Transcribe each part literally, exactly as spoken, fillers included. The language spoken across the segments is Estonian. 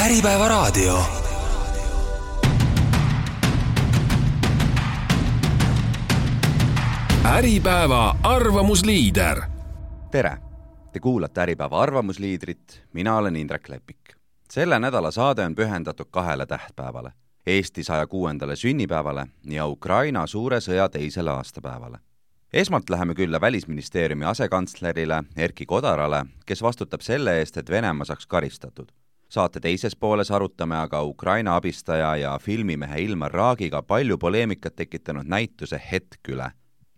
Äripäeva raadio. Äripäeva arvamusliider. Tere! Te kuulate Äripäeva arvamusliidrit, mina olen Indrek Lepik. Selle nädala saade on pühendatud kahele tähtpäevale. Eesti saja kuuendale sünnipäevale ja Ukraina suure sõja teisele aastapäevale. Esmalt läheme külla Välisministeeriumi asekantslerile Erki Kodarale, kes vastutab selle eest, et Venemaa saaks karistatud. Saate teises pooles arutame aga Ukraina abistaja ja filmimehe Ilmar Raagiga palju poleemikat tekitanud näituse Hetk üle.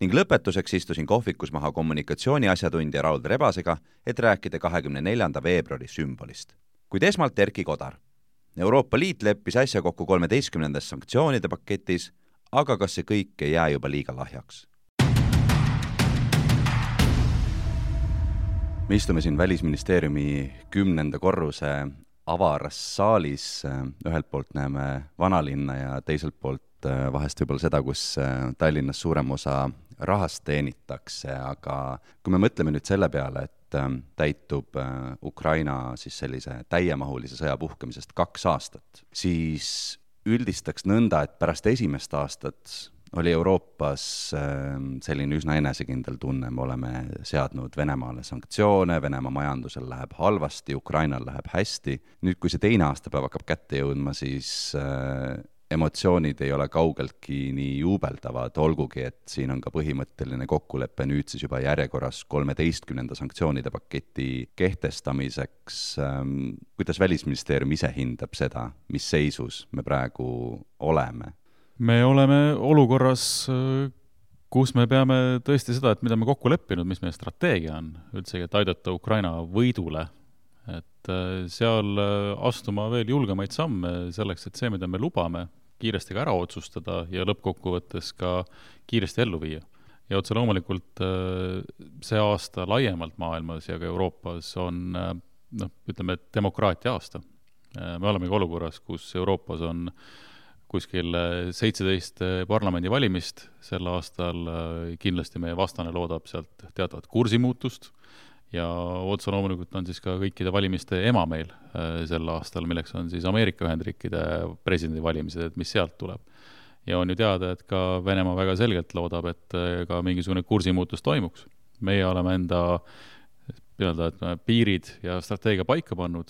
Ning lõpetuseks istusin kohvikus maha kommunikatsiooni asjatundja Raul Rebasega, et rääkida kahekümne neljanda veebruari sümbolist. Kuid esmalt Erki Kodar. Euroopa Liit leppis äsja kokku kolmeteistkümnendas sanktsioonide paketis, aga kas see kõik ei jää juba liiga lahjaks? Me istume siin Välisministeeriumi kümnenda korruse avaras saalis. Ühelt poolt näeme vanalinna ja teiselt poolt vahest võib-olla seda, kus Tallinnas suurem osa rahast teenitakse, aga kui me mõtleme nüüd selle peale, et täitub Ukraina siis sellise täiemahulise sõja puhkemisest kaks aastat, siis üldistaks nõnda, et pärast esimest aastat oli Euroopas selline üsna enesekindel tunne. Me oleme seadnud Venemaale sanktsioone, Venemaa majandusel läheb halvasti, Ukrainal läheb hästi. Nüüd, kui see teine aastapäev hakkab kätte jõudma, siis emotsioonid ei ole kaugeltki nii juubeldavad, olgugi, et siin on ka põhimõtteline kokkulepe nüüd siis juba järjekorras kolmeteistkümnenda sanktsioonide paketi kehtestamiseks. Kuidas Välisministeerium ise hindab seda, mis seisus me praegu oleme? Me oleme olukorras, kus me peame tõesti seda, et mida me kokku leppinud, mis meie strateegia on, üldsegi, et aidata Ukraina võidule, et seal astuma veel julgemaid samme selleks, et see, mida me lubame, kiiresti ka ära otsustada ja lõppkokkuvõttes ka kiiresti ellu viia. Ja otse loomulikult see aasta laiemalt maailmas ja ka Euroopas on, noh, ütleme, demokraatia aasta. Me oleme ka olukorras, kus Euroopas on kuskil seitseteist parlamendi valimist sel aastal. Kindlasti meie vastane loodab sealt teatavat kursimuutust ja otse loomulikult on siis ka kõikide valimiste ema meil sel aastal, milleks on siis Ameerika Ühendriikide presidendi valimised, et mis sealt tuleb. Ja on ju teada, et ka Venemaa väga selgelt loodab, et ka mingisugune kursimuutus toimuks. Meie oleme enda öelda, et piirid ja strateegia paika pannud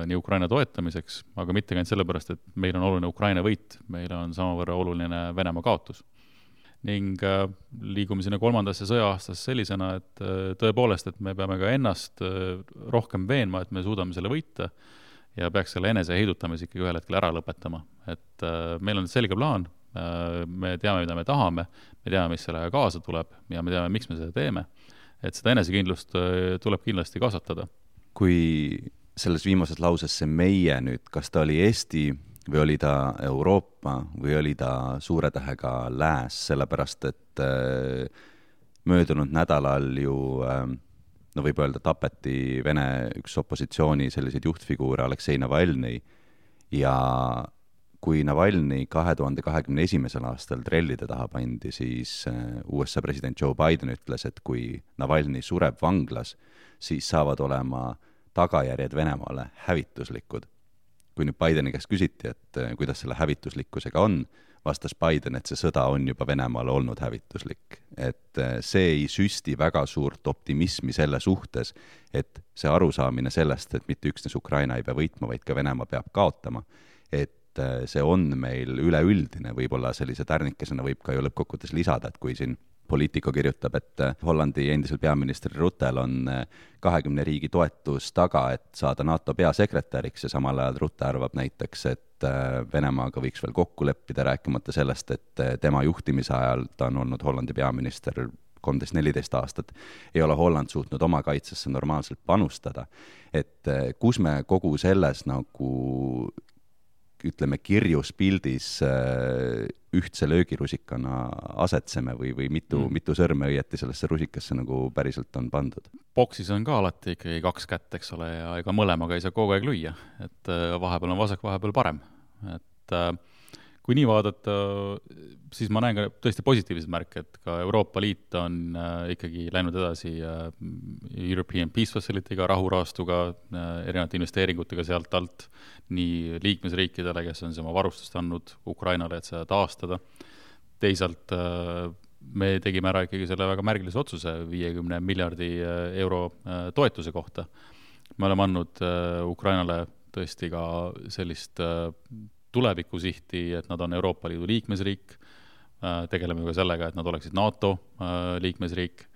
nii Ukraina toetamiseks, aga mitte käinud sellepärast, et meil on oluline Ukraina võit, meil on samavõrra oluline Venemaa kaotus. Ning liigume sinna kolmandasse sõja-aastas sellisena, et tõepoolest, et me peame ka ennast rohkem veenma, et me suudame selle võita ja peaks selle enese heidutamise ikkagi ühel hetkel ära lõpetama. Et meil on selge plaan, me teame, mida me tahame, me teame, mis sellega kaasa tuleb ja me teame, miks me seda teeme. Et seda enesekindlust tuleb kindlasti kasvatada. Kui selles viimases lauses see meie nüüd, kas ta oli Eesti või oli ta Euroopa või oli ta suure tähega lääs, sellepärast et möödunud nädalal ju, no võib öelda, tapeti Vene üks opositsiooni selliseid juhtfiguure Aleksei Navalnõi ja kui Navalnõi kahe tuhande kahekümne esimesel aastal trellide taha pandi, siis U S A president Joe Biden ütles, et kui Navalnõi sureb vanglas, siis saavad olema tagajärjed Venemaale hävituslikud. Kui nüüd Bideni käest küsiti, et kuidas selle hävituslikkusega on, vastas Biden, et see sõda on juba Venemaale olnud hävituslik. Et see ei süsti väga suurt optimismi selle suhtes, et see arusaamine sellest, et mitte üksnes Ukraina ei pea võitma, vaid ka Venemaa peab kaotama, et see on meil üleüldine, võib-olla sellise tärnikesena võib ka ju lõppkokkuvõttes lisada, et kui siin Politico kirjutab, et Hollandi endisel peaministri Ruttel on kahekümne riigi toetus taga, et saada NATO peasekretäriks ja samal ajal Rutte arvab näiteks, et Venemaaga võiks veel kokku leppida, rääkimata sellest, et tema juhtimise ajal, ta on olnud Hollandi peaminister kolmteist neliteist aastat, ei ole Holland suutnud oma kaitsesse normaalselt panustada. Et kus me kogu selles nagu ütleme kirjus pildis ühtse löögirusikana asetseme või, või mitu, mm. mitu sõrme õieti sellesse rusikasse nagu päriselt on pandud? Boksis on ka alati ikkagi kaks kätt, eks ole, ja ega mõlemaga ei saa kogu aeg lüüa, et vahepeal on vasak, vahepeal parem. Et kui nii vaadata, siis ma näen ka tõesti positiivsed märke, et ka Euroopa Liit on äh, ikkagi läinud edasi äh, European Peace Facility'ga, rahuraastuga, äh, erinevate investeeringutega sealt alt, nii liikmesriikidele, kes on oma varustust andnud Ukrainale, et seda taastada. Teisalt äh, me tegime ära ikkagi selle väga märgilise otsuse viiekümne miljardi euro äh, toetuse kohta. Me oleme andnud äh, Ukrainale tõesti ka sellist äh, tulevikusihti, et nad on Euroopa Liidu liikmesriik, tegeleme ka sellega, et nad oleksid NATO liikmesriik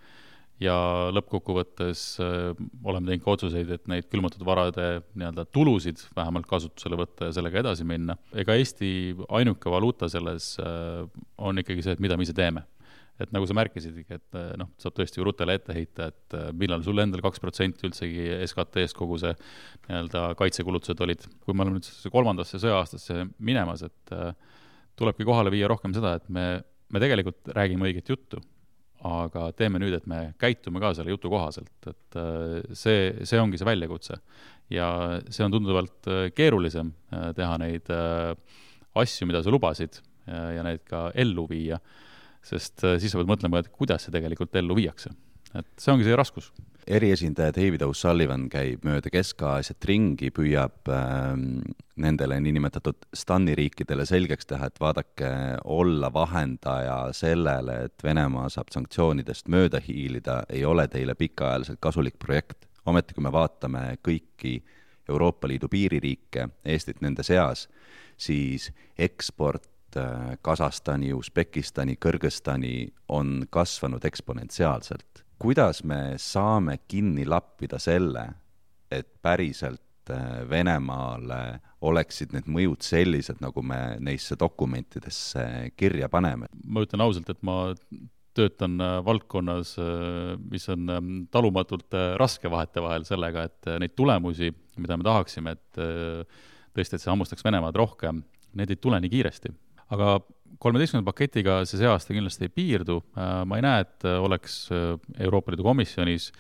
ja lõppkokkuvõttes oleme teinud ka otsuseid, et neid külmutatud varade nii-öelda tulusid vähemalt kasutusele võtta ja sellega edasi minna. Ega Eesti ainuke valuuta selles on ikkagi see, et mida me ise teeme. Et nagu sa märkisidki, et noh, saab tõesti Rutele ette heita, et millal sul endal kaks protsenti üldsegi S K T-st kogu see nii-öelda kaitsekulutused olid. Kui me oleme nüüd kolmandasse sõja-aastasse minemas, et tulebki kohale viia rohkem seda, et me, me tegelikult räägime õiget juttu, aga teeme nüüd, et me käitume ka selle jutu kohaselt. Et see, see ongi see väljakutse. Ja see on tunduvalt keerulisem teha neid asju, mida sa lubasid ja neid ka ellu viia. Sest siis sa pead mõtlema, et kuidas see tegelikult ellu viiakse. Et see ongi see raskus. Eriesindaja David O'Sullivan käib mööda Kesk-Aasiat ringi, püüab äh, nendele niinimetatud stanniriikidele selgeks teha, et vaadake olla vahendaja sellele, et Venemaa saab sanktsioonidest mööda hiilida, ei ole teile pikaajaliselt kasulik projekt. Ometi, kui me vaatame kõiki Euroopa Liidu piiririike, Eestit nende seas, siis eksport Kasahstani, Usbekistani, Kõrgõzstani on kasvanud eksponentsiaalselt. Kuidas me saame kinni lappida selle, et päriselt Venemaale oleksid need mõjud sellised, nagu me neisse dokumentidesse kirja paneme? Ma ütlen ausalt, et ma töötan valdkonnas, mis on talumatult raske vahete vahel sellega, et neid tulemusi, mida me tahaksime, et tõesti, et see hammustaks Venemaad rohkem, need ei tule nii kiiresti. Aga kolmeteistkümnenda paketiga see see aasta kindlasti ei piirdu. Ma ei näe, et oleks Euroopa Liidu komisjonis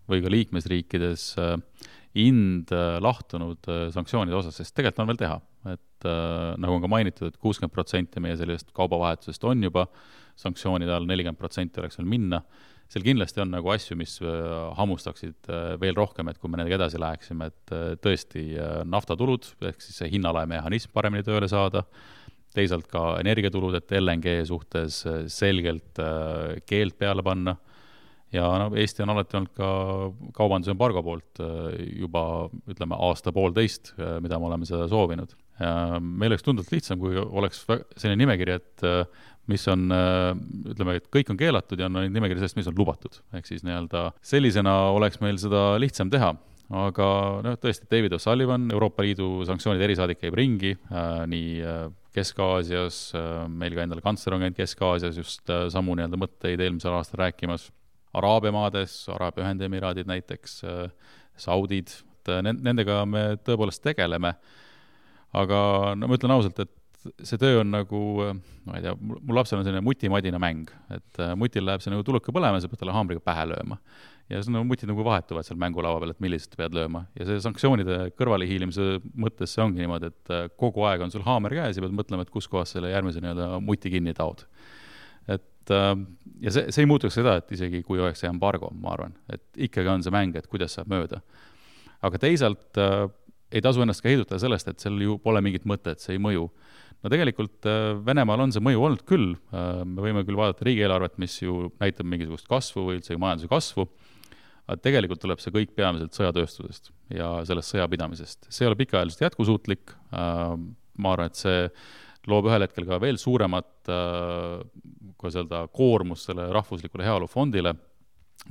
või ka liikmesriikides ind lahtunud sanktsioonide osas, sest tegelikult on veel teha. Et nagu on ka mainitud, et kuuskümmend protsenti meie sellest kaubavahetusest on juba sanktsioonide all, nelikümmend protsenti oleks veel minna. Seal kindlasti on nagu asju, mis hammustaksid veel rohkem, et kui me nendega edasi läheksime, et tõesti naftatulud, ehk siis see hinnalae mehhanism paremini tööle saada, teisalt ka energiatulud, et L N G suhtes selgelt keelt peale panna ja no, Eesti on alati olnud ka kaubanduse embargo poolt juba, ütleme, aasta poolteist, mida me oleme seda soovinud. Ja meil oleks tunduvalt lihtsam, kui oleks selline nimekiri, et mis on, ütleme, et kõik on keelatud ja on nimekiri sellest, mis on lubatud. Ehk siis nii-öelda sellisena oleks meil seda lihtsam teha. Aga no, tõesti, David O'Sullivan, Euroopa Liidu sanktsioonide erisaadik käib ringi, äh, nii äh, Kesk-Aasias, äh, meil ka endale kantsler on käinud Kesk-Aasias just äh, samu nii-öelda mõtteid eelmisel aastal rääkimas. Araabia maades, Araabia Ühendemiraadid näiteks, äh, Saudid, et äh, nendega me tõepoolest tegeleme. Aga no, ma ütlen ausalt, et see töö on nagu, ma ei tea, mul lapsel on selline mutimadina mäng, et äh, mutil läheb see nagu tuluka põlema, sa pead talle haamriga pähe lööma. Ja see on mutid nagu vahetuvad seal mängulava peal, et millised pead lööma. Ja see sanktsioonide kõrvalehiilimise mõttes see ongi niimoodi, et kogu aeg on sul haamer käes ja pead mõtlema, et kus kohas selle järgmise nii-öelda muti kinni taod. Et, ja see, see ei muutuks seda, et isegi kui oleks see embargo, ma arvan, et ikkagi on see mäng, et kuidas saab mööda. Aga teisalt äh, ei tasu ennast ka heidutada sellest, et seal ju pole mingit mõtet, see ei mõju. No tegelikult Venemaal on see mõju olnud küll. Me võime küll vaadata riigieelarvet, mis ju näitab mingisugust kasvu või üldse majanduse kasvu, aga tegelikult tuleb see kõik peamiselt sõjatööstusest ja sellest sõjapidamisest. See ei ole pikaajaliselt jätkusuutlik. Ma arvan, et see loob ühel hetkel ka veel suuremat kui öelda, koormus selle rahvuslikule heaolufondile,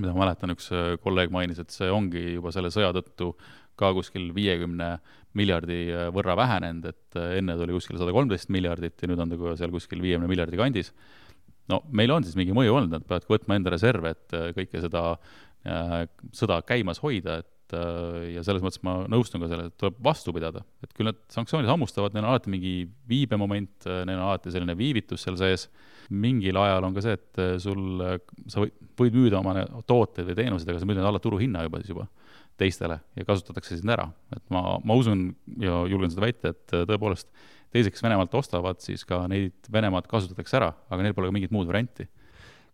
mida ma mäletan, üks kolleeg mainis, et see ongi juba selle sõja tõttu ka kuskil viiekümne miljardi võrra vähenenud, et enne oli kuskil sada kolmteist miljardit ja nüüd on ta seal kuskil viiekümne miljardi kandis. No meil on siis mingi mõju olnud, nad peavad võtma enda reserve, et kõike seda äh, sõda käimas hoida, et äh, ja selles mõttes ma nõustun ka selle, et tuleb vastu pidada. Et küll need sanktsioonid hammustavad, neil on alati mingi viibemoment, neil on alati selline viivitus seal sees. Mingil ajal on ka see, et sul, sa võid müüda oma tooteid või teenused, aga sa müüd alla turuhinna juba siis juba teistele ja kasutatakse sind ära. Et ma, ma usun ja julgen seda väita, et tõepoolest teised, kes Venemaalt ostavad, siis ka neid Venemaad kasutatakse ära, aga neil pole ka mingit muud varianti.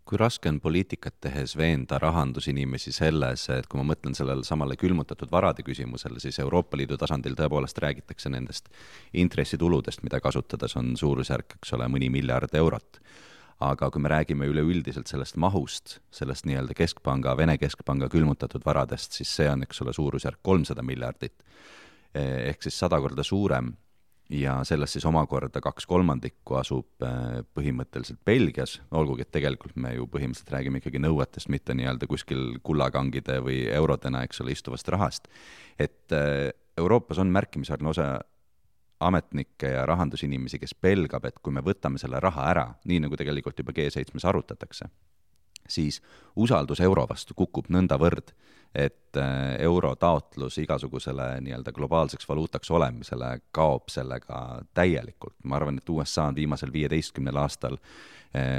Kui raske on poliitikat tehes veenda rahandusinimesi selles, et kui ma mõtlen sellele samale külmutatud varade küsimusele, siis Euroopa Liidu tasandil tõepoolest räägitakse nendest intressituludest, mida kasutades on suurusjärk, eks ole, mõni miljard eurot. Aga kui me räägime üleüldiselt sellest mahust, sellest nii-öelda keskpanga, Vene keskpanga külmutatud varadest, siis see on, eks ole, suurusjärk kolmsada miljardit, ehk siis sada korda suurem. Ja sellest siis omakorda kaks kolmandikku asub põhimõtteliselt Belgias, olgugi, et tegelikult me ju põhimõtteliselt räägime ikkagi nõuetest, mitte nii-öelda kuskil kullakangide või eurodena, eks ole, istuvast rahast. Et Euroopas on märkimisväärne osa ametnikke ja rahandusinimesi, kes pelgab, et kui me võtame selle raha ära, nii nagu tegelikult juba G seitsmes arutatakse, siis usaldus euro vastu kukub nõnda võrd, et euro taotlus igasugusele nii-öelda globaalseks valuutaks olemisele kaob sellega täielikult. Ma arvan, et U S A on viimasel viieteistkümnel aastal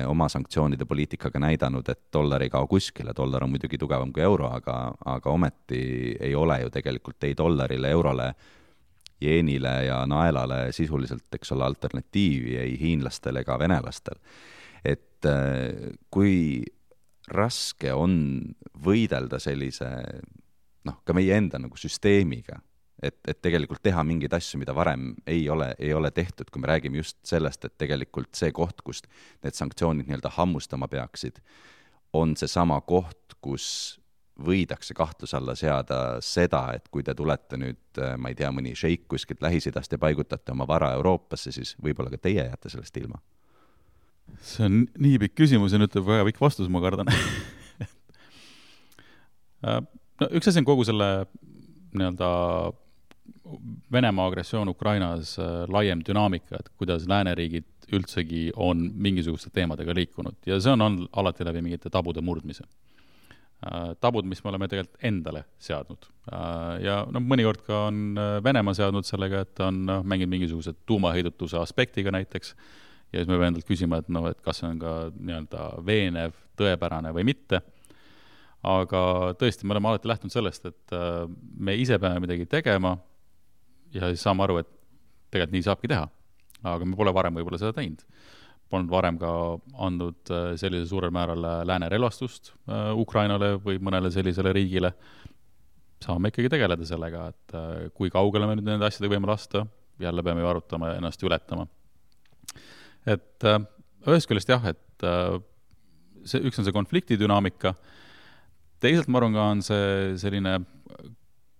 oma sanktsioonide poliitikaga näidanud, et dollar ei kao kuskile, dollar on muidugi tugevam kui euro, aga, aga ometi ei ole ju tegelikult ei dollarile, eurole, jeenile ja naelale sisuliselt, eks ole, alternatiivi ei hiinlastel ega venelastel. Et kui raske on võidelda sellise, noh, ka meie enda nagu süsteemiga, et, et tegelikult teha mingeid asju, mida varem ei ole, ei ole tehtud, kui me räägime just sellest, et tegelikult see koht, kust need sanktsioonid nii-öelda hammustama peaksid, on see sama koht, kus võidakse kahtlus alla seada seda, et kui te tulete nüüd, ma ei tea, mõni šeik kuskilt Lähis-Idast ja paigutate oma vara Euroopasse, siis võib-olla ka teie jääte sellest ilma. See on nii pikk küsimus ja nüüd tuleb väga pikk vastus, ma kardan. no, üks asi on kogu selle nii-öelda Venemaa agressioon Ukrainas laiem dünaamika, et kuidas lääneriigid üldsegi on mingisuguste teemadega liikunud ja see on olnud alati läbi mingite tabude murdmise. Tabud, mis me oleme tegelikult endale seadnud. Ja no, mõnikord ka on Venemaa seadnud sellega, et on mängid mingisugused tuumaheidutuse aspektiga näiteks ja siis me peame endalt küsima, et, no, et kas see on ka nii-öelda veenev, tõepärane või mitte. Aga tõesti, me oleme alati lähtunud sellest, et me ise peame midagi tegema ja siis saame aru, et tegelikult nii saabki teha. Aga me pole varem võib-olla seda teinud. Polnud varem ka andnud sellise suurel määral lääne relvastust Ukrainale või mõnele sellisele riigile. Saame ikkagi tegeleda sellega, et kui kaugele me nüüd nende asjadega võime lasta, jälle peame ju arutama ja ennast ületama. Et ühest küljest jah, et see, üks on see konflikti dünaamika, teisalt ma arvan ka on see selline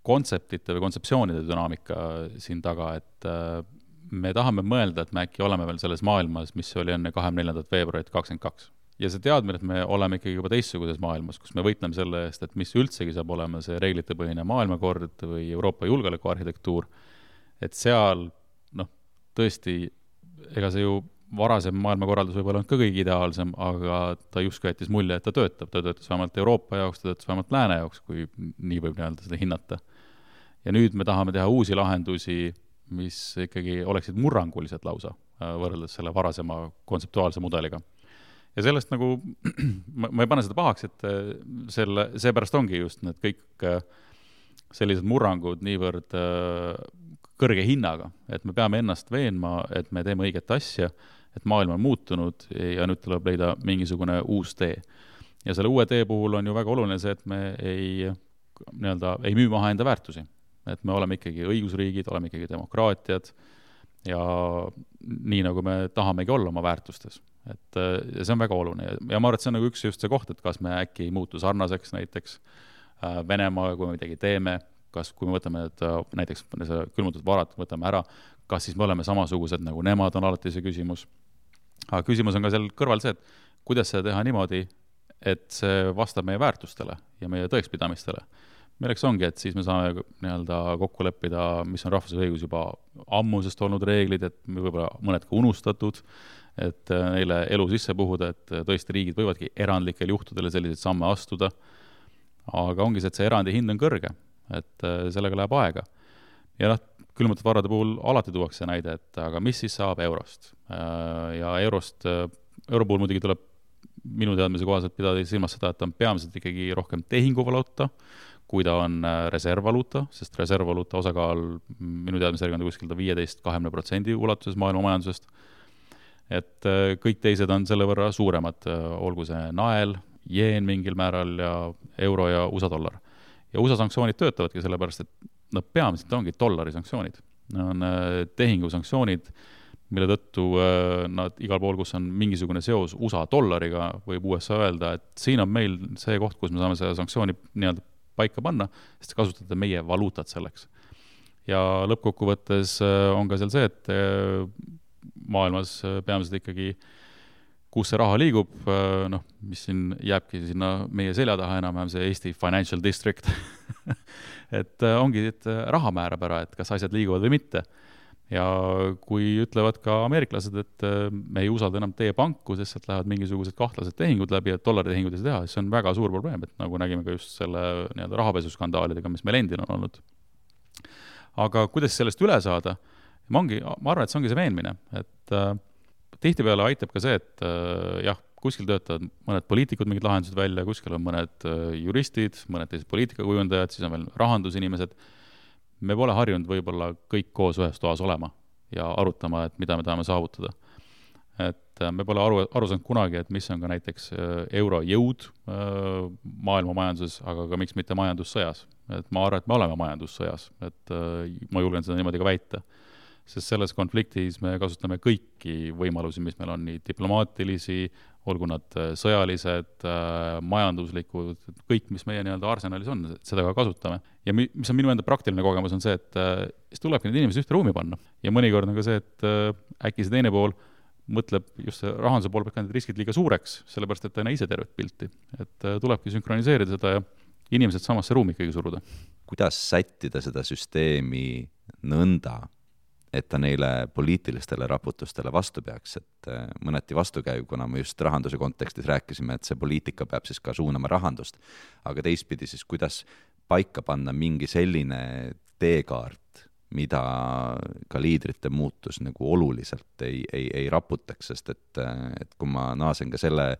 kontseptite või kontseptsioonide dünaamika siin taga, et me tahame mõelda, et me äkki oleme veel selles maailmas, mis oli enne kahekümne neljandat veebruarit kakskümmend kaks. Ja see teadmine, et me oleme ikkagi juba teistsuguses maailmas, kus me võitleme selle eest, et mis üldsegi saab olema see reeglitepõhine maailmakord või Euroopa julgeolekuarhitektuur, et seal, noh, tõesti, ega see ju varasem maailmakorraldus võib olla ka kõige ideaalsem, aga ta justkui jättis mulje, et ta töötab. Ta töötas vähemalt Euroopa jaoks, ta töötas vähemalt lääne jaoks, kui nii võib nii-öelda seda hinnata. Ja nüüd me tahame teha uusi lahendusi, mis ikkagi oleksid murrangulised lausa võrreldes selle varasema kontseptuaalse mudeliga. Ja sellest nagu, ma ei pane seda pahaks, et selle, seepärast ongi just need kõik sellised murrangud niivõrd kõrge hinnaga, et me peame ennast veenma, et me teeme õiget asja, et maailm on muutunud ja nüüd tuleb leida mingisugune uus tee. Ja selle uue tee puhul on ju väga oluline see, et me ei, nii-öelda, ei müü maha enda väärtusi. Et me oleme ikkagi õigusriigid, oleme ikkagi demokraatiad ja nii nagu me tahamegi olla oma väärtustes. Et see on väga oluline ja ma arvan, et see on nagu üks just see koht, et kas me äkki ei muutu sarnaseks näiteks Venemaaga, kui me midagi teeme, kas kui me võtame et näiteks külmutatud varad, võtame ära, kas siis me oleme samasugused nagu nemad, on alati see küsimus. Aga küsimus on ka seal kõrval see, et kuidas seda teha niimoodi, et see vastab meie väärtustele ja meie tõekspidamistele. Milleks ongi, et siis me saame nii-öelda kokku leppida, mis on rahvusvahelise õigus juba ammusest olnud reeglid, et me võib-olla mõned ka unustatud, et neile elu sisse puhuda, et tõesti riigid võivadki erandlikel juhtudele selliseid samme astuda. Aga ongi see, et see erandi hind on kõrge, et sellega läheb aega. Ja noh, külmutatud varade puhul alati tuuakse näide, et aga mis siis saab eurost? Ja eurost, euro puhul muidugi tuleb minu teadmise kohaselt pidada silmas seda, et on peamiselt ikkagi rohkem tehinguvaluuta kui ta on reservvaluuta, sest reservvaluuta osakaal minu teadmisega on kuskil viieteist kahekümne protsendi ulatuses maailma majandusest. Et kõik teised on selle võrra suuremad, olgu see nael, jeen mingil määral ja euro ja U S A dollar. Ja U S A sanktsioonid töötavadki sellepärast, et nad peamiselt ongi dollari sanktsioonid. Nad on tehingu sanktsioonid, mille tõttu nad igal pool, kus on mingisugune seos U S A dollariga, võib U S A öelda, et siin on meil see koht, kus me saame selle sanktsiooni nii-öelda paika panna, sest kasutate meie valuutat selleks. Ja lõppkokkuvõttes on ka seal see, et maailmas peamiselt ikkagi, kus see raha liigub, noh, mis siin jääbki sinna meie selja taha enam-vähem see Eesti Financial District, et ongi, et raha määrab ära, et kas asjad liiguvad või mitte. Ja kui ütlevad ka ameeriklased, et me ei usalda enam teie panku, sest sealt lähevad mingisugused kahtlased tehingud läbi, et dollaritehingud ei teha, siis see on väga suur probleem, et nagu nägime ka just selle nii-öelda rahapesuskandaalidega, mis meil endil on olnud. Aga kuidas sellest üle saada? Ma, ongi, ma arvan, et see ongi see veenmine, et äh, tihtipeale aitab ka see, et äh, jah, kuskil töötavad mõned poliitikud mingid lahendused välja, kuskil on mõned äh, juristid, mõned teised poliitikakujundajad, siis on veel rahandusinimesed. Me pole harjunud võib-olla kõik koos ühes toas olema ja arutama, et mida me tahame saavutada. Et me pole aru, aru saanud kunagi, et mis on ka näiteks euro jõud maailma majanduses, aga ka miks mitte majandussõjas. Et ma arvan, et me oleme majandussõjas, et ma julgen seda niimoodi ka väita. Sest selles konfliktis me kasutame kõiki võimalusi, mis meil on, nii diplomaatilisi, olgu nad sõjalised, majanduslikud, kõik, mis meie nii-öelda arsenalis on, seda ka kasutame. Ja mis on minu enda praktiline kogemus on see, et siis tulebki need inimesed ühte ruumi panna. Ja mõnikord on ka see, et äkki see teine pool mõtleb just see rahanduse pool peab need riskid liiga suureks, sellepärast, et ta ei näe ise tervet pilti. Et tulebki sünkroniseerida seda ja inimesed samasse ruumi ikkagi suruda. Kuidas sättida seda süsteemi nõnda, et ta neile poliitilistele raputustele vastu peaks, et mõneti vastukäiv, kuna me just rahanduse kontekstis rääkisime, et see poliitika peab siis ka suunama rahandust, aga teistpidi siis kuidas paika panna mingi selline teekaart, mida ka liidrite muutus nagu oluliselt ei, ei, ei raputaks, sest et, et kui ma naasen ka selle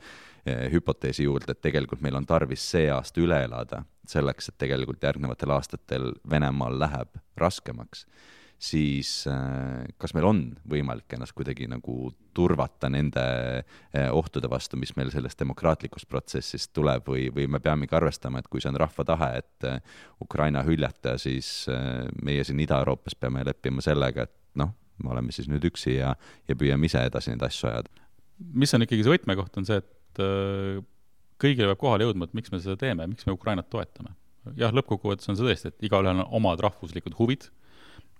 hüpoteesi juurde, et tegelikult meil on tarvis see aasta üle elada selleks, et tegelikult järgnevatel aastatel Venemaal läheb raskemaks, siis kas meil on võimalik ennast kuidagi nagu turvata nende ohtude vastu, mis meil sellest demokraatlikust protsessist tuleb või, või me peamegi arvestama, et kui see on rahva tahe, et Ukraina hüljata, siis meie siin Ida-Euroopas peame leppima sellega, et noh, me oleme siis nüüd üksi ja, ja püüame ise edasi neid asju ajada. Mis on ikkagi see võtmekoht on see, et kõigile peab kohale jõudma, et miks me seda teeme, miks me Ukrainat toetame. Jah, lõppkokkuvõttes on see tõesti, et igaühel on omad rahvuslikud huvid.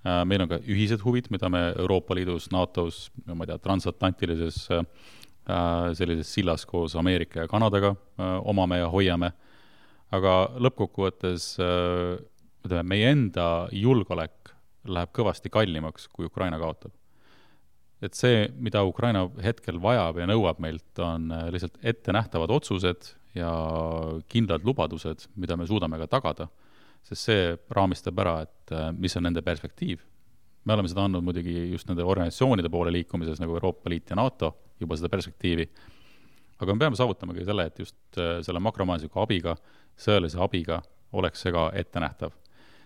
Meil on ka ühised huvid, mida me Euroopa Liidus, NATOs, ma ei tea, transatlantilises sellises sillas koos Ameerika ja Kanadaga omame ja hoiame. Aga lõppkokkuvõttes meie enda julgeolek läheb kõvasti kallimaks, kui Ukraina kaotab. Et see, mida Ukraina hetkel vajab ja nõuab meilt, on lihtsalt ette nähtavad otsused ja kindlad lubadused, mida me suudame ka tagada. Sest see raamistab ära, et mis on nende perspektiiv. Me oleme seda andnud muidugi just nende organisatsioonide poole liikumises, nagu Euroopa Liit ja NATO, juba seda perspektiivi. Aga me peame saavutama ka selle, et just selle makromajandusliku abiga, sõjalise abiga oleks see ka ette nähtav.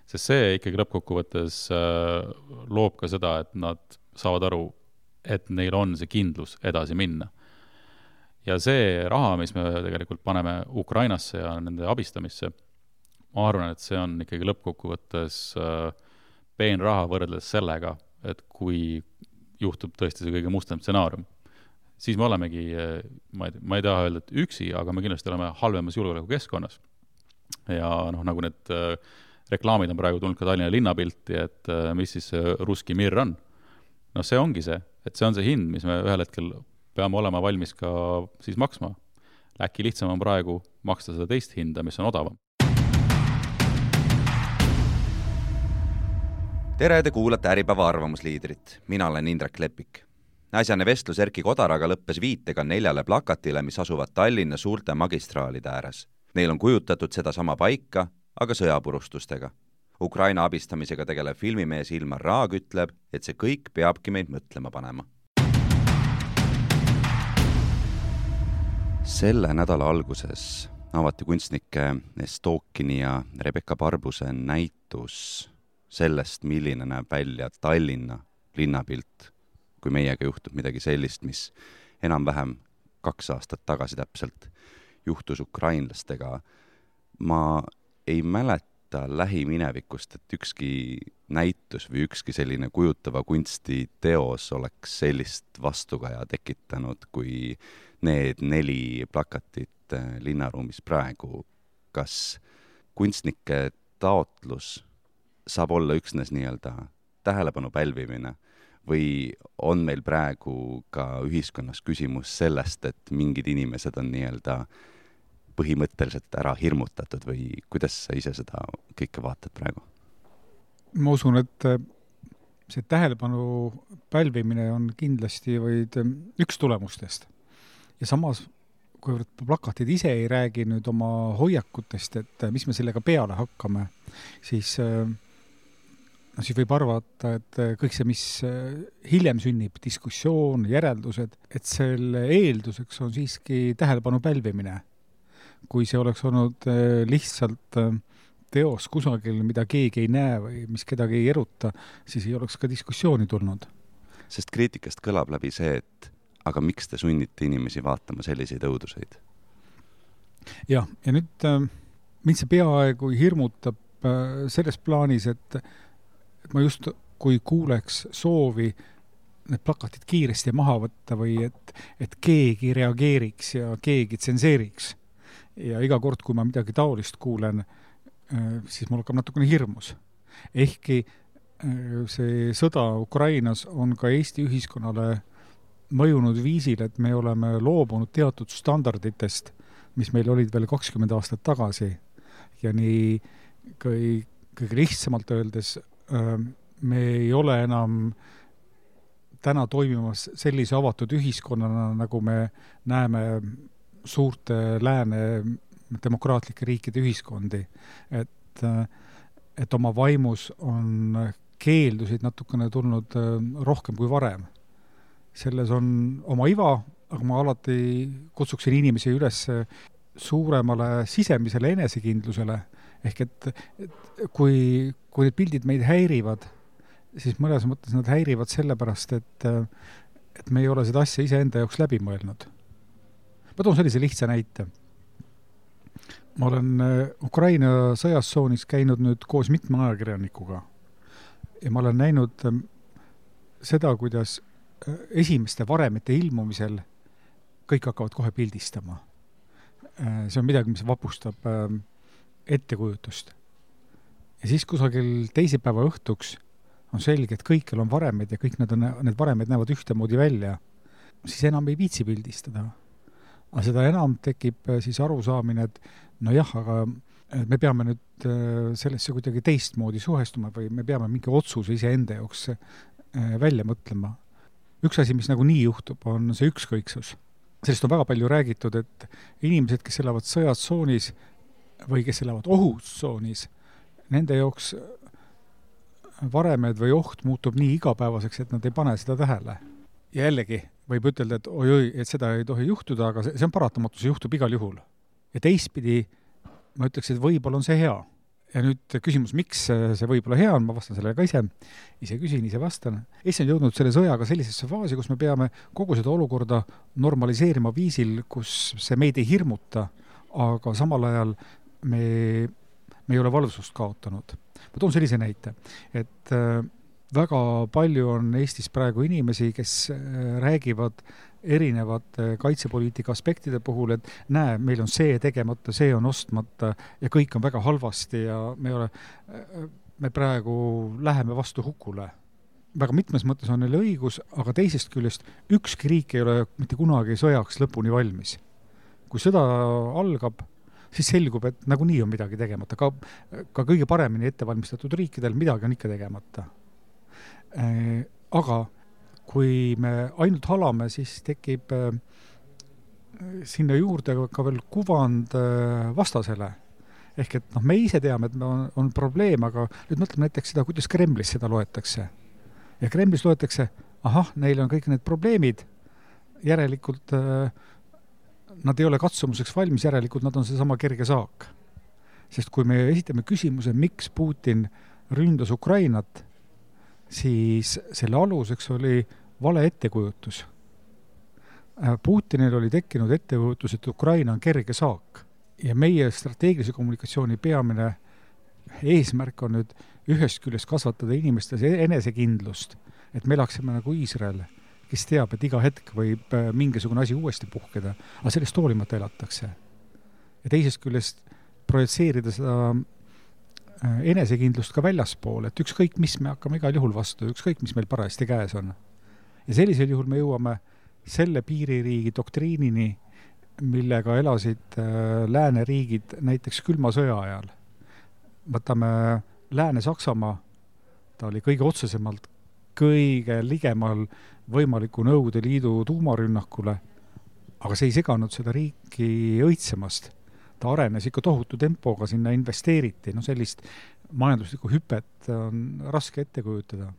Sest see ikkagi lõppkokkuvõttes loob ka seda, et nad saavad aru, et neil on see kindlus edasi minna. Ja see raha, mis me tegelikult paneme Ukrainasse ja nende abistamisse, ma arvan, et see on ikkagi lõppkokkuvõttes peen raha võrreldes sellega, et kui juhtub tõesti see kõige mustem stsenaarium, siis me olemegi, ma ei, ma ei taha öelda, et üksi, aga me kindlasti oleme halvemas julgeoleku keskkonnas. Ja noh, nagu need reklaamid on praegu tulnud ka Tallinna linnapilti, et mis siis ruski mir on. No see ongi see, et see on see hind, mis me ühel hetkel peame olema valmis ka siis maksma. Äkki lihtsam on praegu maksta seda teist hinda, mis on odavam. Tere, te kuulate Äripäeva arvamusliidrit. Mina olen Indrek Lepik. Äsjane vestlus Erki Kodaraga lõppes viitega neljale plakatile, mis asuvad Tallinna suurte magistraalide ääres. Neil on kujutatud seda sama paika, aga sõjapurustustega. Ukraina abistamisega tegelev filmimees Ilmar Raag ütleb, et see kõik peabki meid mõtlema panema. Selle nädala alguses avati kunstnike Estokini ja Rebecca Barbuse näitus sellest, milline näeb välja Tallinna linnapilt, kui meiega juhtub midagi sellist, mis enam-vähem kaks aastat tagasi täpselt juhtus ukrainlastega. Ma ei mäleta lähiminevikust, et ükski näitus või ükski selline kujutava kunsti teos oleks sellist vastukaja tekitanud, kui need neli plakatit linnaruumis praegu. Kas kunstnike taotlus saab olla üksnes nii-öelda tähelepanu pälvimine või on meil praegu ka ühiskonnas küsimus sellest, et mingid inimesed on nii-öelda põhimõtteliselt ära hirmutatud või kuidas sa ise seda kõike vaatad praegu? Ma usun, et see tähelepanu pälvimine on kindlasti vaid üks tulemustest. Ja samas, kuivõrd plakatid ise ei räägi nüüd oma hoiakutest, et mis me sellega peale hakkame, siis, no siis võib arvata, et kõik see, mis hiljem sünnib, diskussioon, järeldused, et selle eelduseks on siiski tähelepanu pälvimine. Kui see oleks olnud lihtsalt teos kusagil, mida keegi ei näe või mis kedagi ei eruta, siis ei oleks ka diskussiooni tulnud. Sest kriitikast kõlab läbi see, et aga miks te sunnite inimesi vaatama selliseid õuduseid? Jah, ja nüüd äh, mind see peaaegu hirmutab äh, selles plaanis, et, et ma just kui kuuleks soovi need plakatid kiiresti maha võtta või et, et keegi reageeriks ja keegi tsenseeriks. Ja iga kord, kui ma midagi taolist kuulen, äh, siis mul hakkab natukene hirmus. Ehkki äh, see sõda Ukrainas on ka Eesti ühiskonnale mõjunud viisil, et me oleme loobunud teatud standarditest, mis meil olid veel kakskümmend aastat tagasi. Ja nii kõige, kõige lihtsamalt öeldes me ei ole enam täna toimimas sellise avatud ühiskonnana, nagu me näeme suurte lääne demokraatlike riikide ühiskondi. Et, et oma vaimus on keeldusid natukene tulnud rohkem kui varem. Selles on oma iva, aga ma alati kutsuksin inimesi üles suuremale sisemisele enesekindlusele. Ehk et, et kui, kui need pildid meid häirivad, siis mõnes mõttes nad häirivad sellepärast, et, et me ei ole seda asja ise enda jaoks läbi mõelnud. Ma toon sellise lihtsa näite. Ma olen Ukraina sõjassoonis käinud nüüd koos mitme ajakirjanikuga ja ma olen näinud seda, kuidas esimeste varemete ilmumisel kõik hakkavad kohe pildistama. See on midagi, mis vapustab ettekujutust. Ja siis kusagil teisipäeva õhtuks on selge, et kõikjal on varemed ja kõik need, on, need varemed näevad ühtemoodi välja. Siis enam ei viitsi pildistada. Aga seda enam tekib siis arusaamine, et no jah, aga me peame nüüd sellesse kuidagi teistmoodi suhestuma või me peame mingi otsuse ise enda jaoks välja mõtlema. Üks asi, mis nagu nii juhtub, on see ükskõiksus. Sellest on väga palju räägitud, et inimesed, kes elavad sõjatsoonis või kes elavad ohutsoonis, nende jaoks varemed või oht muutub nii igapäevaseks, et nad ei pane seda tähele. Ja jällegi võib ütelda, et oi-oi, et seda ei tohi juhtuda, aga see on paratamatus, see juhtub igal juhul. Ja teistpidi ma ütleks, et võib-olla on see hea. Ja nüüd küsimus, miks see võib-olla hea on, ma vastan sellele ka ise, ise küsin, ise vastan. Eesti on jõudnud selle sõjaga sellisesse faasi, kus me peame kogu seda olukorda normaliseerima viisil, kus see meid ei hirmuta, aga samal ajal me, me ei ole valvsust kaotanud. Ma toon sellise näite, et väga palju on Eestis praegu inimesi, kes räägivad erinevate kaitsepoliitika aspektide puhul, et näe, meil on see tegemata, see on ostmata ja kõik on väga halvasti ja me, ole, me praegu läheme vastu hukule. Väga mitmes mõttes on neil õigus, aga teisest küljest ükski riik ei ole mitte kunagi sõjaks lõpuni valmis. Kui sõda algab, siis selgub, et nagunii on midagi tegemata. Ka, ka kõige paremini ettevalmistatud riikidel midagi on ikka tegemata. Aga kui me ainult halame, siis tekib sinna juurde ka veel kuvand vastasele. Ehk et noh, me ise teame, et on, on probleem, aga nüüd mõtleme näiteks seda, kuidas Kremlis seda loetakse. Ja Kremlis loetakse, ahah, neil on kõik need probleemid, järelikult nad ei ole katsumuseks valmis, järelikult nad on seesama kerge saak. Sest kui me esitame küsimuse, miks Putin ründas Ukrainat, siis selle aluseks oli vale ettekujutus. Putinil oli tekkinud ettekujutus, et Ukraina on kerge saak. Ja meie strateegilise kommunikatsiooni peamine eesmärk on nüüd ühest küljest kasvatada inimestes enesekindlust, et me elaksime nagu Iisrael, kes teab, et iga hetk võib mingisugune asi uuesti puhkeda, aga sellest hoolimata elatakse. Ja teisest küljest projitseerida seda enesekindlust ka väljaspool, et ükskõik, mis me hakkame igal juhul vastu, ükskõik, mis meil parajasti käes on. Ja sellisel juhul me jõuame selle piiririigi doktriinini, millega elasid lääneriigid näiteks külma sõja ajal. Võtame Lääne-Saksamaa, ta oli kõige otsesemalt kõige ligemal võimaliku Nõukogude Liidu tuumarünnakule, aga see ei seganud seda riiki õitsemast. Ta arenes ikka tohutu tempoga, sinna investeeriti, no sellist majanduslikku hüpet on raske ette kujutada.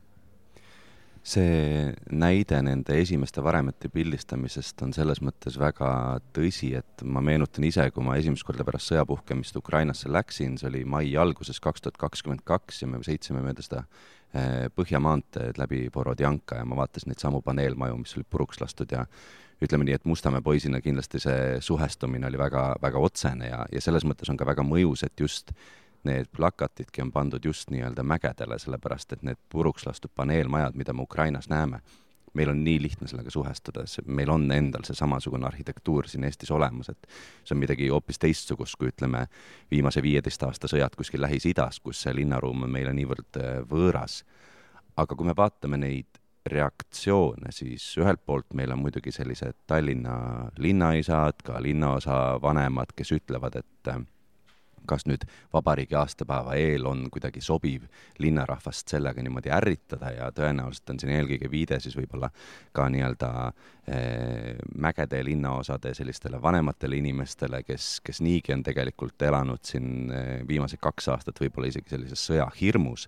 See näide nende esimeste varemete pildistamisest on selles mõttes väga tõsi, et ma meenutan ise, kui ma esimest korda pärast sõjapuhkemist Ukrainasse läksin, see oli mai alguses kaks tuhat kakskümmend kaks ja me sõitsime mööda seda Põhjamaanteed läbi Borodjanka ja ma vaatasin neid samu paneelmaju, mis olid puruks lastud ja ütleme nii, et Mustamäe poisina kindlasti see suhestumine oli väga, väga otsene ja, ja selles mõttes on ka väga mõjus, et just need plakatidki on pandud just nii-öelda mägedele, sellepärast et need puruks lastud paneelmajad, mida me Ukrainas näeme, meil on nii lihtne sellega suhestuda, meil on endal see samasugune arhitektuur siin Eestis olemas, et see on midagi hoopis teistsugust, kui ütleme viimase viieteist aasta sõjad kuskil Lähis-Idas, kus see linnaruum on meile niivõrd võõras. Aga kui me vaatame neid reaktsioone, siis ühelt poolt meil on muidugi sellised Tallinna linnaisad, ka linnaosa vanemad, kes ütlevad, et kas nüüd vabariigi aastapäeva eel on kuidagi sobiv linnarahvast sellega niimoodi ärritada ja tõenäoliselt on siin eelkõige viide siis võib-olla ka nii-öelda eh, mägede linnaosade sellistele vanematele inimestele, kes, kes niigi on tegelikult elanud siin eh, viimased kaks aastat võib-olla isegi sellises sõjahirmus.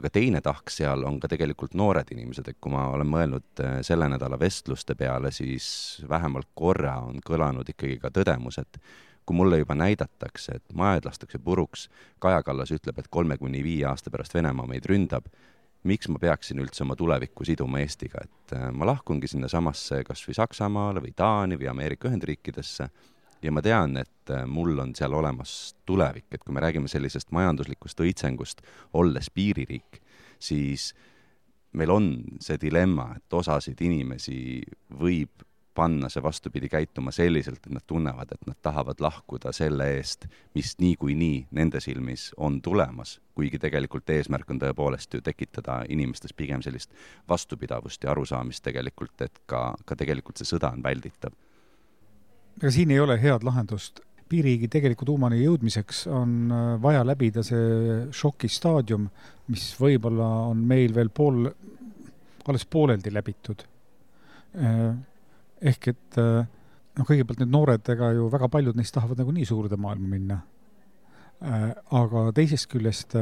Aga teine tahk seal on ka tegelikult noored inimesed, et kui ma olen mõelnud selle nädala vestluste peale, siis vähemalt korra on kõlanud ikkagi ka tõdemus, et kui mulle juba näidatakse, et majad lastakse puruks, Kaja Kallas ütleb, et kolme kuni viie aasta pärast Venemaa meid ründab, miks ma peaksin üldse oma tulevikku siduma Eestiga, et ma lahkungi sinna samasse kas või Saksamaale või Taani või Ameerika Ühendriikidesse ja ma tean, et mul on seal olemas tulevik, et kui me räägime sellisest majanduslikust õitsengust, olles piiririik, siis meil on see dilemma, et osasid inimesi võib panna see vastupidi käituma selliselt, et nad tunnevad, et nad tahavad lahkuda selle eest, mis nii kui nii nende silmis on tulemas, kuigi tegelikult eesmärk on tõepoolest ju tekitada inimestes pigem sellist vastupidavust ja arusaamist tegelikult, et ka, ka tegelikult see sõda on välditav. Aga siin ei ole head lahendust. Piiririigi tegeliku tuumani jõudmiseks on vaja läbida see šoki staadium, mis võib-olla on meil veel pool, alles pooleldi läbitud. Ehk et no kõigepealt need noored, ega ju väga paljud neist tahavad nagu nii suurde maailma minna. Aga teisest küljest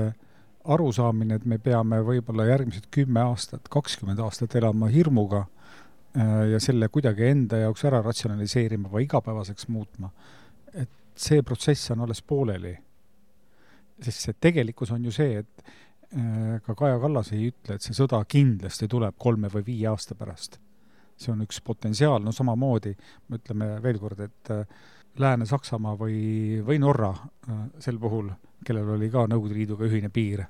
arusaamine, et me peame võib-olla järgmised kümme aastat, kakskümmend aastat elama hirmuga ja selle kuidagi enda jaoks ära ratsionaliseerima või igapäevaseks muutma. Et see protsess on alles pooleli. Sest see tegelikkus on ju see, et ka Kaja Kallas ei ütle, et see sõda kindlasti tuleb kolme või viie aasta pärast. See on üks potentsiaal, no samamoodi, me ütleme veel kord, et Lääne-Saksamaa või, või Norra sel puhul, kellel oli ka Nõukogude Liiduga ühine piir,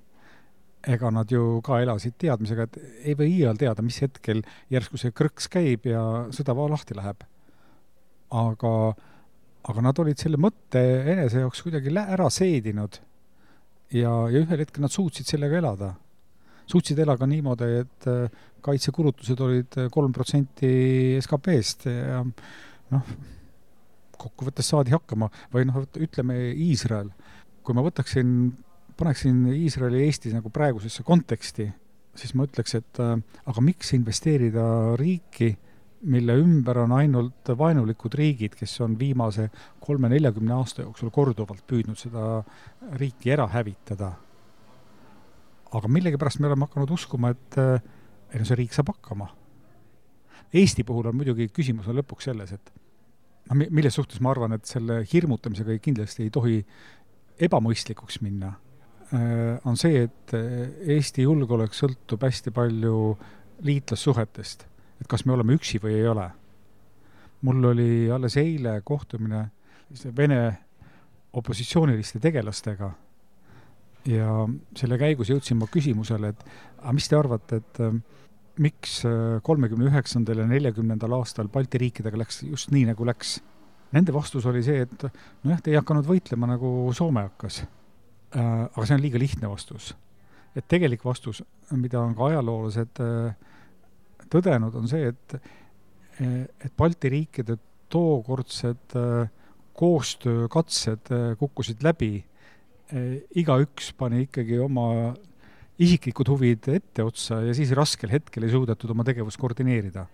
ega nad ju ka elasid teadmisega, et ei või iial teada, mis hetkel järsku see krõks käib ja sõda va lahti läheb. Aga, aga nad olid selle mõtte enese jaoks kuidagi ära seedinud ja, ja ühel hetkel nad suutsid sellega elada. Suutsid elaga niimoodi, et kaitsekulutused olid kolm protsenti S K P-st ja noh, kokkuvõttes saadi hakkama. Või noh, ütleme Iisrael. Kui ma võtaksin, paneksin Iisraeli ja Eesti nagu praegusesse konteksti, siis ma ütleks, et aga miks investeerida riiki, mille ümber on ainult vaenulikud riigid, kes on viimase kolme neljakümne aasta jooksul korduvalt püüdnud seda riiki ära hävitada. Aga millegi pärast me oleme hakanud uskuma, et no see riik saab hakkama. Eesti puhul on muidugi küsimus on lõpuks selles, et no, milles suhtes ma arvan, et selle hirmutamisega kindlasti ei tohi ebamõistlikuks minna, on see, et Eesti julgeolek sõltub hästi palju liitlassuhetest, et kas me oleme üksi või ei ole. Mul oli alles eile kohtumine Vene opositsiooniliste tegelastega ja selle käigus jõudsin ma küsimusele, et aga mis te arvate, et miks kolmekümne üheksandal ja neljakümnendal aastal Balti riikidega läks just nii, nagu läks? Nende vastus oli see, et nojah, te ei hakanud võitlema, nagu Soome hakkas. Aga see on liiga lihtne vastus. Et tegelik vastus, mida on ka ajaloolased tõdenud, on see, et, et Balti riikide tookordsed koostöökatsed kukkusid läbi. Iga üks pani ikkagi oma isiklikud huvid ette otsa ja siis raskel hetkel ei suudetud oma tegevust koordineerida.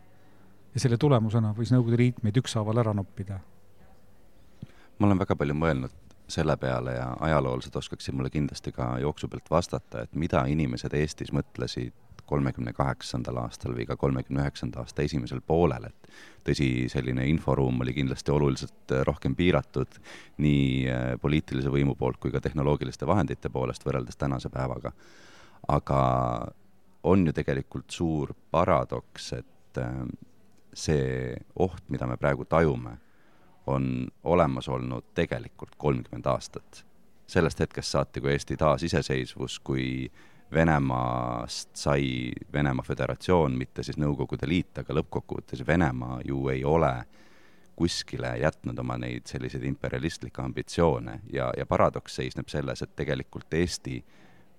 Ja selle tulemusena võis Nõukogude Liit meid ükshaaval ära noppida. Ma olen väga palju mõelnud selle peale ja ajaloolased oskaksid mulle kindlasti ka jooksu pealt vastata, et mida inimesed Eestis mõtlesid kolmekümne kaheksandal aastal või ka kolmekümne üheksanda aasta esimesel poolel, et tõsi, selline inforuum oli kindlasti oluliselt rohkem piiratud nii poliitilise võimu poolt kui ka tehnoloogiliste vahendite poolest võrreldes tänase päevaga. Aga on ju tegelikult suur paradoks, et see oht, mida me praegu tajume, on olemas olnud tegelikult kolmkümmend aastat. Sellest hetkest saati, kui Eesti taas iseseisvus, kui Venemaast sai Venemaa Föderatsioon, mitte siis Nõukogude Liit, aga lõppkokkuvõttes Venemaa ju ei ole kuskile jätnud oma neid selliseid imperialistlikke ambitsioone ja, ja paradoks seisneb selles, et tegelikult Eesti,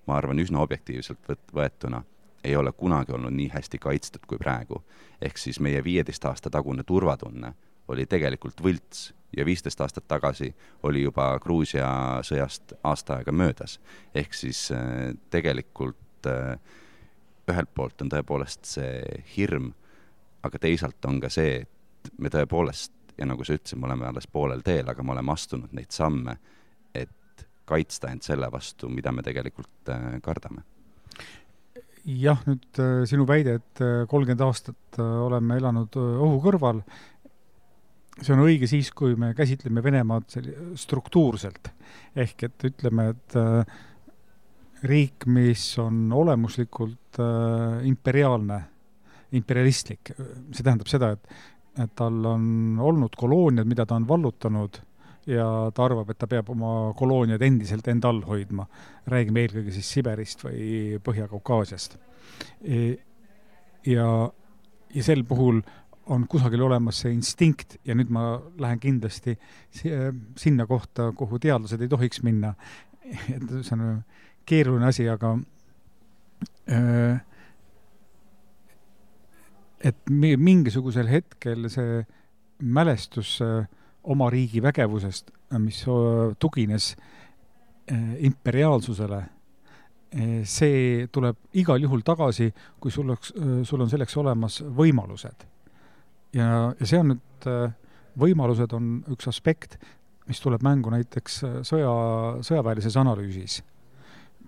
ma arvan, üsna objektiivselt võetuna, ei ole kunagi olnud nii hästi kaitstud kui praegu. Ehk siis meie viieteist aasta tagune turvatunne oli tegelikult võlts ja viisteist aastat tagasi oli juba Gruusia sõjast aasta aega möödas. Ehk siis tegelikult ühelt poolt on tõepoolest see hirm, aga teisalt on ka see, et me tõepoolest, ja nagu sa ütlesid, me oleme alles poolel teel, aga me oleme astunud neid samme, et kaitsta end selle vastu, mida me tegelikult kardame. Jah, nüüd sinu väide, et kolmkümmend aastat oleme elanud ohu kõrval, see on õige siis, kui me käsitleme Venemaad struktuurselt. Ehk et ütleme, et riik, mis on olemuslikult imperiaalne, imperialistlik, see tähendab seda, et, et tal on olnud kolooniad, mida ta on vallutanud ja ta arvab, et ta peab oma kolooniad endiselt enda all hoidma. Räägime eelkõige siis Siberist või Põhja-Kaukaasiast. Ja, ja sel puhul on kusagil olemas see instinkt ja nüüd ma lähen kindlasti sinna kohta, kuhu teadlased ei tohiks minna. Et see on keeruline asi, aga et mingisugusel hetkel see mälestus oma riigi vägevusest, mis tugines imperiaalsusele, see tuleb igal juhul tagasi, kui sul, oleks, sul on selleks olemas võimalused. Ja, ja see on nüüd, võimalused on üks aspekt, mis tuleb mängu näiteks sõja, sõjaväelises analüüsis,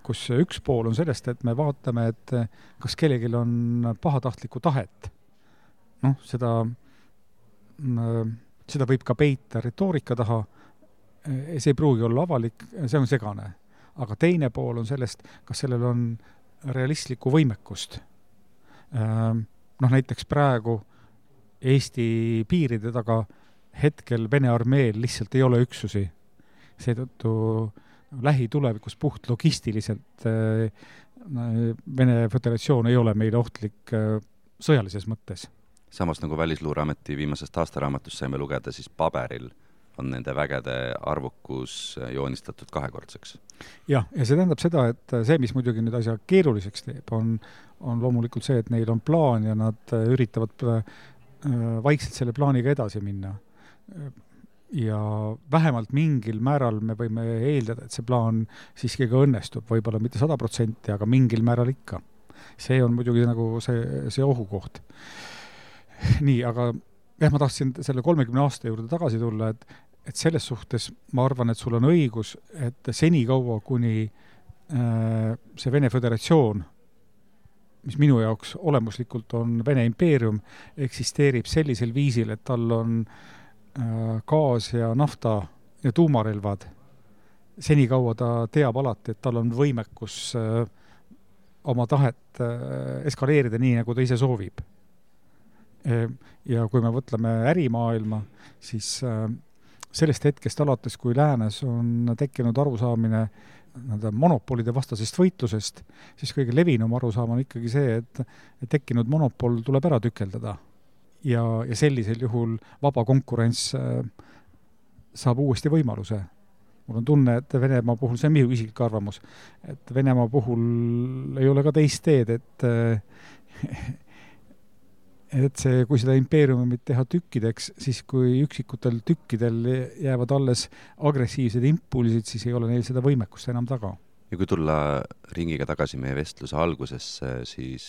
kus üks pool on sellest, et me vaatame, et kas kellelgi on pahatahtlikku tahet. Noh, seda, seda võib ka peita retoorika taha, see ei pruugi olla avalik, see on segane. Aga teine pool on sellest, kas sellel on realistlikku võimekust. Noh, näiteks praegu Eesti piiride taga hetkel Vene armeel lihtsalt ei ole üksusi. Seetõttu lähitulevikus puht logistiliselt Vene Föderatsioon ei ole meile ohtlik sõjalises mõttes. Samas nagu Välisluureameti viimasest aastaraamatust saime lugeda, siis paberil on nende vägede arvukus joonistatud kahekordseks. Jah, ja see tähendab seda, et see, mis muidugi nüüd asja keeruliseks teeb, on, on loomulikult see, et neil on plaan ja nad üritavad vaikselt selle plaaniga edasi minna. Ja vähemalt mingil määral me võime eeldada, et see plaan siiski ka õnnestub, võib-olla mitte sada protsenti, aga mingil määral ikka. See on muidugi nagu see, see ohukoht. Nii, aga jah, ma tahtsin selle kolmekümne aasta juurde tagasi tulla, et, et selles suhtes ma arvan, et sul on õigus, et seni kaua, kuni äh, see Vene Föderatsioon, mis minu jaoks olemuslikult on Vene impeerium, eksisteerib sellisel viisil, et tal on gaas ja nafta ja tuumarelvad, senikaua ta teab alati, et tal on võimekus oma tahet eskaleerida nii, nagu ta ise soovib. Ja kui me võtleme ärimaailma, siis sellest hetkest alates, kui läänes on tekkinud arusaamine monopolide vastasest võitlusest, siis kõige levinum arusaam on ikkagi see, et, et tekkinud monopol tuleb ära tükeldada. Ja, ja sellisel juhul vaba konkurents saab uuesti võimaluse. Mul on tunne, et Venemaa puhul, see on minu isiklik arvamus, et Venemaa puhul ei ole ka teist teed, et, et see, kui seda impeeriumit teha tükkideks, siis kui üksikutel tükkidel jäävad alles agressiivsed impulsid, siis ei ole neil seda võimekust enam taga. Ja kui tulla ringiga tagasi meie vestluse algusesse, siis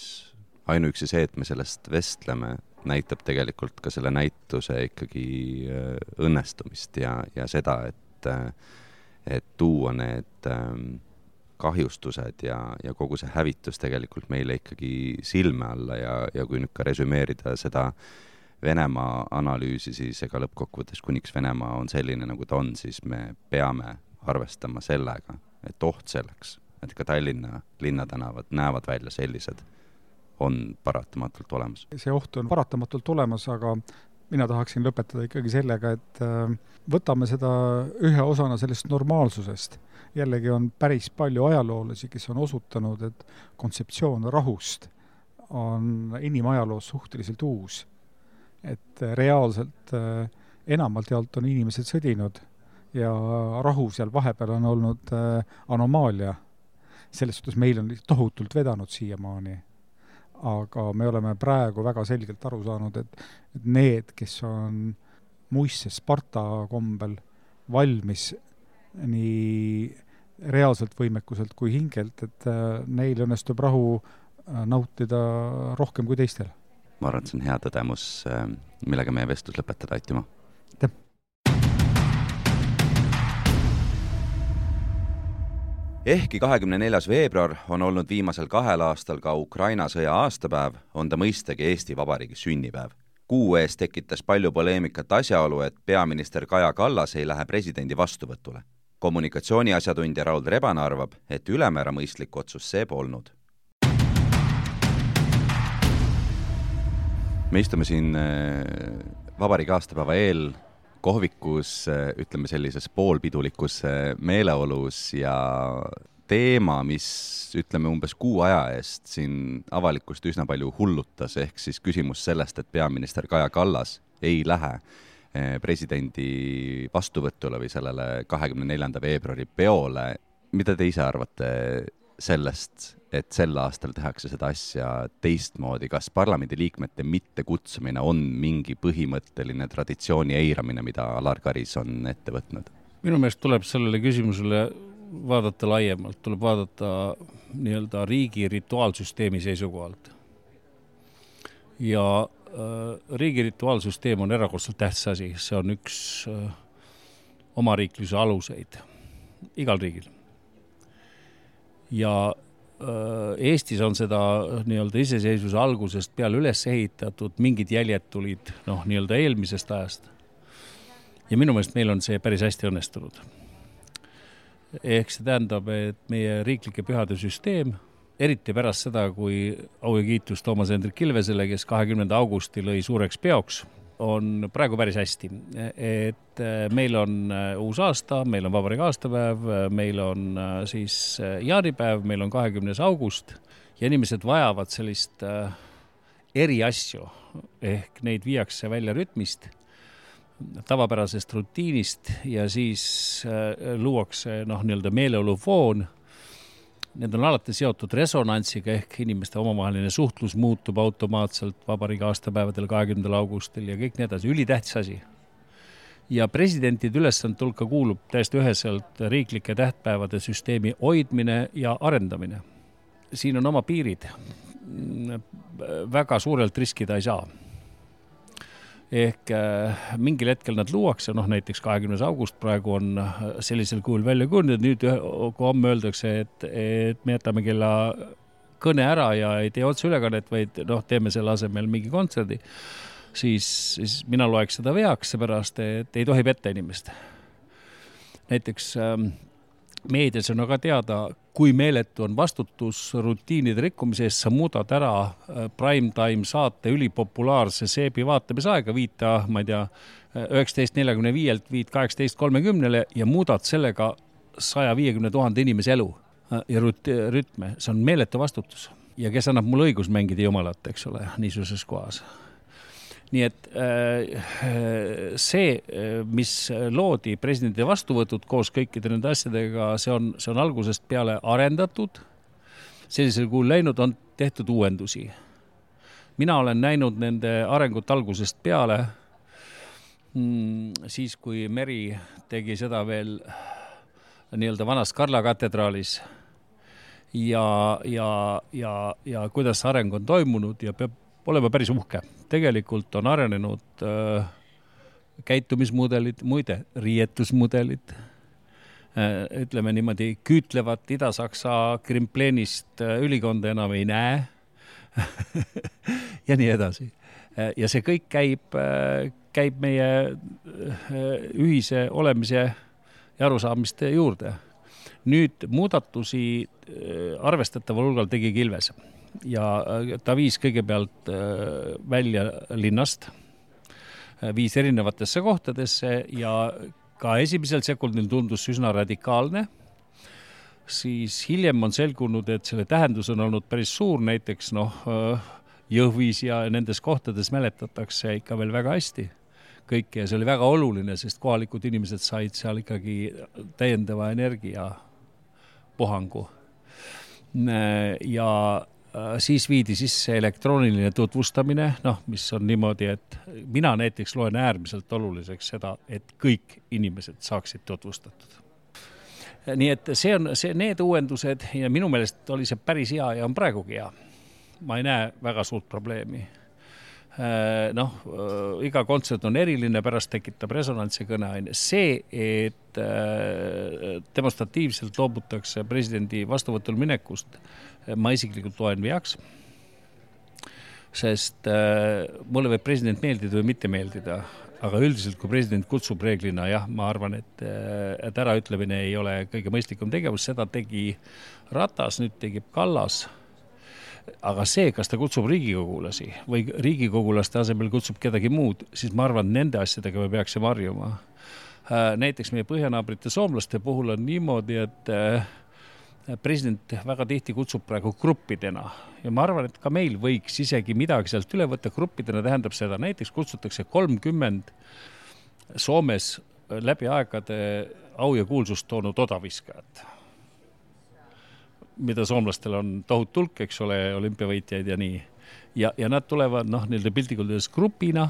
ainuüksi see, et me sellest vestleme, näitab tegelikult ka selle näituse ikkagi õnnestumist ja, ja seda, et et tuua need kahjustused ja, ja kogu see hävitus tegelikult meile ikkagi silme alla ja, ja kui nüüd ka resümeerida seda Venemaa analüüsi, siis ega lõppkokkuvõttes, kuniks Venemaa on selline, nagu ta on, siis me peame arvestama sellega, et oht selleks, et ka Tallinna linnatänavad näevad välja sellised, on paratamatult olemas. See oht on paratamatult olemas, aga mina tahaksin lõpetada ikkagi sellega, et võtame seda ühe osana sellest normaalsusest. Jällegi on päris palju ajaloolasi, kes on osutanud, et kontseptsioon rahust on inimajaloos suhteliselt uus. Et reaalselt enamalt jaolt on inimesed sõdinud ja rahu seal vahepeal on olnud anomaalia. Selles suhtes meil on tohutult vedanud siiamaani. Aga me oleme praegu väga selgelt aru saanud, et, et need, kes on muisse Sparta kombel valmis nii reaalselt võimekuselt kui hingelt, et neil õnnestub rahu nautida rohkem kui teistel. Ma arvan, et see on hea tõdemus, millega meie vestlus lõpetada, Aitimo. Aitäh! Ehkki kahekümne neljas veebruar on olnud viimasel kahel aastal ka Ukraina sõja aastapäev, on ta mõistagi Eesti Vabariigi sünnipäev. Kuu ees tekitas palju poleemikat asjaolu, et peaminister Kaja Kallas ei lähe presidendi vastuvõtule. Kommunikatsiooni asjatundja Raul Rebane arvab, et ülemäära mõistlik otsus see polnud. Me istume siin Vabariigi aastapäeva eel kohvikus, ütleme sellises poolpidulikus meeleolus ja teema, mis ütleme umbes kuu aja eest siin avalikkust üsna palju hullutas, ehk siis küsimus sellest, et peaminister Kaja Kallas ei lähe presidendi vastuvõtule või sellele kahekümne neljanda veebruari peole. Mida te ise arvate sellest, et sel aastal tehakse seda asja teistmoodi? Kas parlamendi liikmete mitte kutsumine on mingi põhimõtteline traditsiooni eiramine, mida Alar Karis on ette võtnud? Minu meelest tuleb sellele küsimusele vaadata laiemalt, tuleb vaadata nii-öelda riigi rituaalsüsteemi seisukohalt. Ja äh, riigi rituaalsüsteem on erakordselt tähtis asi, see on üks äh, omariikluse aluseid igal riigil. Ja Eestis on seda nii-öelda iseseisvuse algusest peale üles ehitatud, mingid jäljed tulid noh, nii-öelda eelmisest ajast. Ja minu meelest meil on see päris hästi õnnestunud. Ehk see tähendab, et meie riiklike pühade süsteem, eriti pärast seda, kui au ja kiitus Toomas Hendrik Ilvesele, kes kahekümnenda augusti lõi suureks peoks, on praegu päris hästi. Et meil on uus aasta, meil on Vabariigi aastapäev, meil on siis jaanipäev, meil on kahekümnes august ja inimesed vajavad sellist eri asju, ehk neid viiakse välja rütmist, tavapärasest rutiinist ja siis luuakse noh, nii-öelda meeleolufoon. Need on alati seotud resonantsiga, ehk inimeste omavaheline suhtlus muutub automaatselt Vabariigi aastapäevadel kahekümnendal augustil ja kõik need asi, ülitähtis asi. Ja presidentide ülesande hulka kuulub täiesti üheselt riiklike tähtpäevade süsteemi hoidmine ja arendamine. Siin on oma piirid. Väga suurelt riskida ei saa. Ehk mingil hetkel nad luuakse, noh näiteks kahekümnes august praegu on sellisel kujul välja kujunenud, nüüd kui homme öeldakse, et, et me jätame kella kõne ära ja ei tee otse ülekannet, vaid noh, teeme selle asemel mingi kontserdi, siis, siis mina loeks seda veaks, seepärast, et ei tohi petta inimest. Näiteks ähm, meedias on aga teada, kui meeletu on vastutus rutiinide rikkumise eest, sa muudad ära primetime saate ülipopulaarse seebi vaatamisaega, viita, ma ei tea, üheksateist neljakümne viielt viid kaheksateist kolmekümnele ja muudad sellega saja viiekümne tuhande inimese elu ja rütme. See on meeletu vastutus. Ja kes annab mulle õigus mängida jumalat, eks ole, niisuguses kohas. Nii et see, mis loodi presidendi vastuvõtud koos kõikide nende asjadega, see on, see on algusest peale arendatud. Sellisel kuul läinud on tehtud uuendusi. Mina olen näinud nende arengut algusest peale, siis kui Meri tegi seda veel nii-öelda vanas Karla katedraalis ja, ja, ja, ja kuidas areng on toimunud ja peab olema päris uhke. Tegelikult on arenenud äh, käitumismudelid, muide, riietusmudelid, äh, ütleme niimoodi, küütlevat Ida-Saksa Krimpleenist äh, ülikonda enam ei näe ja nii edasi. Äh, ja see kõik käib, äh, käib meie äh, ühise olemise ja arusaamiste juurde. Nüüd muudatusi äh, arvestataval hulgal tegi Kilves. Ja ta viis kõigepealt välja linnast, viis erinevatesse kohtadesse ja ka esimesel sekundil tundus üsna radikaalne. Siis hiljem on selgunud, et selle tähendus on olnud päris suur, näiteks noh, Jõhvis ja nendes kohtades mäletatakse ikka veel väga hästi kõike ja see oli väga oluline, sest kohalikud inimesed said seal ikkagi täiendava energia puhangu. Ja siis viidi sisse elektrooniline tutvustamine, noh, mis on niimoodi, et mina näiteks loen äärmiselt oluliseks seda, et kõik inimesed saaksid tutvustatud. Nii et see on see, need uuendused ja minu meelest oli see päris hea ja on praegugi hea. Ma ei näe väga suurt probleemi. Noh, iga kontsert on eriline, pärast tekitab resonantsi kõneaine. See, et demonstratiivselt loobutakse presidendi vastuvõtul minekust, ma isiklikult loen veaks, sest mulle võib president meeldida või mitte meeldida, aga üldiselt, kui president kutsub reeglina, jah, ma arvan, et, et äraütlemine ei ole kõige mõistlikum tegevus, seda tegi Ratas, nüüd tegib Kallas. Aga see, kas ta kutsub riigikogulasi või riigikogulaste asemel kutsub kedagi muud, siis ma arvan, nende asjadega me peaksime harjuma. Näiteks meie põhjanaabrite soomlaste puhul on niimoodi, et president väga tihti kutsub praegu gruppidena ja ma arvan, et ka meil võiks isegi midagi sealt üle võtta. Gruppidena tähendab seda, näiteks kutsutakse kolmkümmend Soomes läbi aegade au ja kuulsust toonud odaviskajat, mida soomlastel on tohut hulk, eks ole, olümpiavõitjaid ja nii. Ja, ja nad tulevad, noh, nende piltikuldades grupina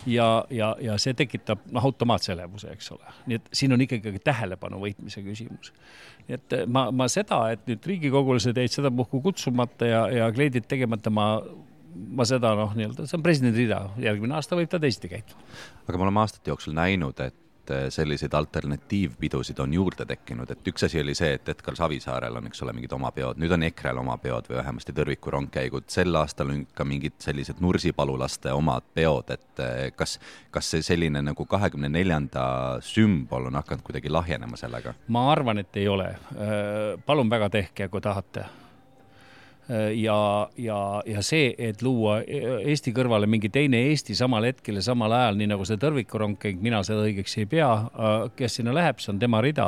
ja, ja, ja see tekitab, noh, automaatse elevuse, eks ole. Nii et siin on ikkagi tähelepanu võitmise küsimus. Nii et ma, ma seda, et nüüd riigikogulased jäid seda puhku kutsumata ja, ja kleidid tegemata, ma, ma seda, noh, nii-öelda, see on presidendi rida. Järgmine aasta võib ta teisiti käituda. Aga me oleme aastate jooksul näinud, et selliseid alternatiivpidusid on juurde tekkinud, et üks asi oli see, et Edgar Savisaarel on, eks ole, mingid oma peod, nüüd on Ekrel oma peod või vähemasti Tõrviku rongkäigud, sel aastal on ka mingid sellised Nursipalulaste omad peod, et kas, kas see selline nagu kahekümne neljanda sümbol on hakanud kuidagi lahjenema sellega? Ma arvan, et ei ole. Palun väga tehke, kui tahate. Ja, ja, ja see, et luua Eesti kõrvale mingi teine Eesti samal hetkel ja samal ajal, nii nagu see Tõrviku rongkäik, mina seda õigeks ei pea, kes sinna läheb, see on tema rida,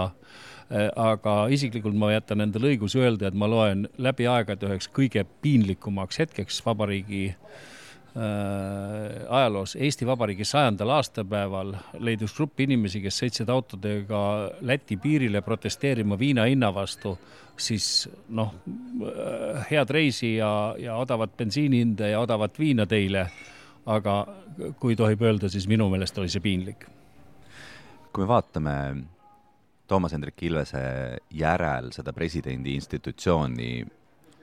aga isiklikult ma jätan endale õigus öelda, et ma loen läbi aegade üheks kõige piinlikumaks hetkeks vabariigi ajaloos. Eesti Vabariigi sajandal aastapäeval leidus grupp inimesi, kes sõitsid autodega Läti piirile protesteerima viina hinna vastu, siis noh, head reisi ja, ja odavat bensiinihinda ja odavat viina teile, aga kui tohib öelda, siis minu meelest oli see piinlik. Kui me vaatame Toomas Hendrik Ilvese järel seda presidendi institutsiooni,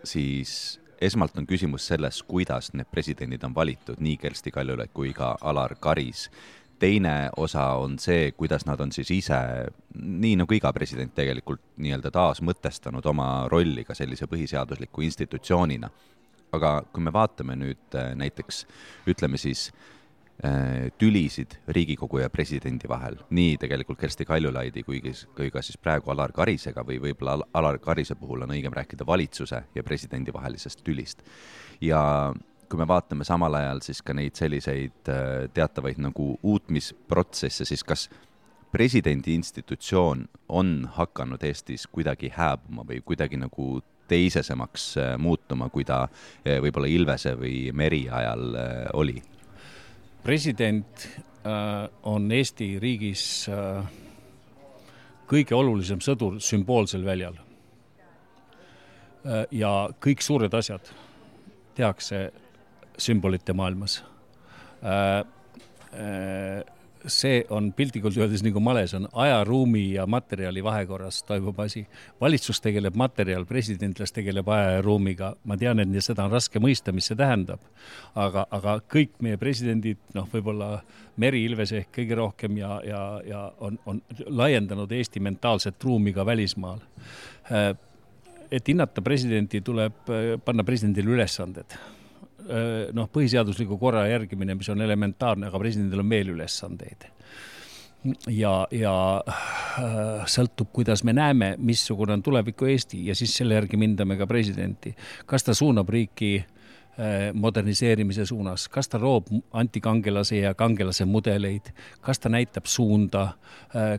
siis esmalt on küsimus selles, kuidas need presidendid on valitud, nii Kersti Kaljulaid kui ka Alar Karis. Teine osa on see, kuidas nad on siis ise, nii nagu iga president tegelikult nii-öelda taas mõtestanud oma rolli ka sellise põhiseadusliku institutsioonina. aga kui me vaatame nüüd näiteks, ütleme siis, tülisid Riigikogu ja presidendi vahel, nii tegelikult Kersti Kaljulaidi kui, kui ka siis praegu Alar Karisega või võib-olla Alar Karise puhul on õigem rääkida valitsuse ja presidendi vahelisest tülist. Ja kui me vaatame samal ajal siis ka neid selliseid teatavaid nagu uutmisprotsesse, siis kas presidendi institutsioon on hakanud Eestis kuidagi hääbuma või kuidagi nagu teisesemaks muutuma, kui ta võib-olla Ilvese või Meri ajal oli? President on Eesti riigis kõige olulisem sõdur sümboolsel väljal. Ja kõik suured asjad tehakse sümbolite maailmas. See on piltlikult öeldes nagu males, on aja, ruumi ja materjali vahekorras toimub asi. Valitsus tegeleb materjal, presidentlas tegeleb aja ja ruumiga. Ma tean, et seda on raske mõista, mis see tähendab. Aga, aga kõik meie presidendid, noh, võib-olla Meri Ilvese ehk kõige rohkem ja, ja, ja on, on laiendanud Eesti mentaalset ruumi ka välismaal. Et hinnata presidenti, tuleb panna presidendile ülesanded. Noh, põhiseadusliku korra järgimine, mis on elementaarne, aga presidendil on veel ülesandeid. Ja, ja sõltub, kuidas me näeme, missugune on tuleviku Eesti ja siis selle järgi mindame ka presidenti. Kas ta suunab riiki moderniseerimise suunas, kas ta roob antikangelase ja kangelase mudeleid, kas ta näitab suunda,